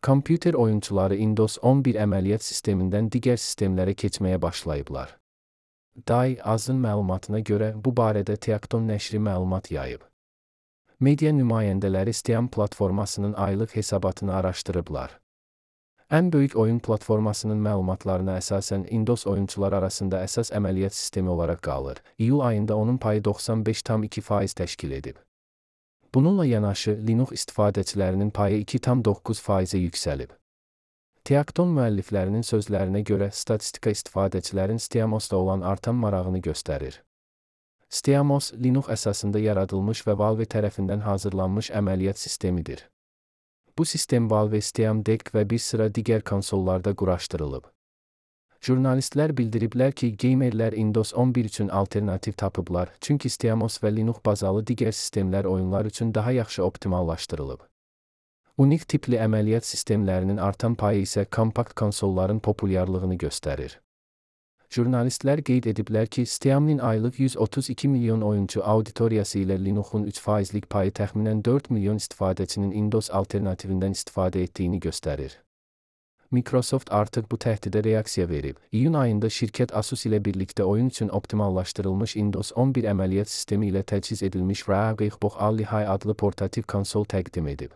Kompüter oyunçuları Windows 11 əməliyyat sistemindən digər sistemlərə keçməyə başlayıblar. DAI azın məlumatına görə bu barədə Teakton nəşri məlumat yayıb. Media nümayəndələri Steam platformasının aylıq hesabatını araşdırıblar. Ən böyük oyun platformasının məlumatlarına əsasən Windows oyunçular arasında əsas əməliyyat sistemi olaraq qalır. İyul ayında onun payı 95,2% təşkil edib. Bununla yanaşı, Linux istifadəçilərinin payı 2,9%-ə yüksəlib. Teakton müəlliflərinin sözlərinə görə statistika istifadəçilərin SteamOS-da olan artan marağını göstərir. SteamOS, Linux əsasında yaradılmış və Valve tərəfindən hazırlanmış əməliyyat sistemidir. Bu sistem Valve Steam Deck və bir sıra digər konsollarda quraşdırılıb. Jurnalistlər bildiriblər ki, geymerlər Windows 11 üçün alternativ tapıblar, çünki SteamOS və Linux bazalı digər sistemlər oyunlar üçün daha yaxşı optimallaşdırılıb. Unik tipli əməliyyat sistemlərinin artan payı isə kompakt konsolların populyarlığını göstərir. Jurnalistlər qeyd ediblər ki, Steam'nin aylıq 132 milyon oyuncu auditoriyası ilə Linux'un 3%lik payı təxminən 4 milyon istifadəçinin Windows alternativindən istifadə etdiyini göstərir. Microsoft artıq bu təhdidə reaksiya verib. İyun ayında şirkət Asus ilə birlikdə oyun üçün optimallaşdırılmış Windows 11 əməliyyat sistemi ilə təchiz edilmiş Raspberry Pi adlı portativ konsol təqdim edib.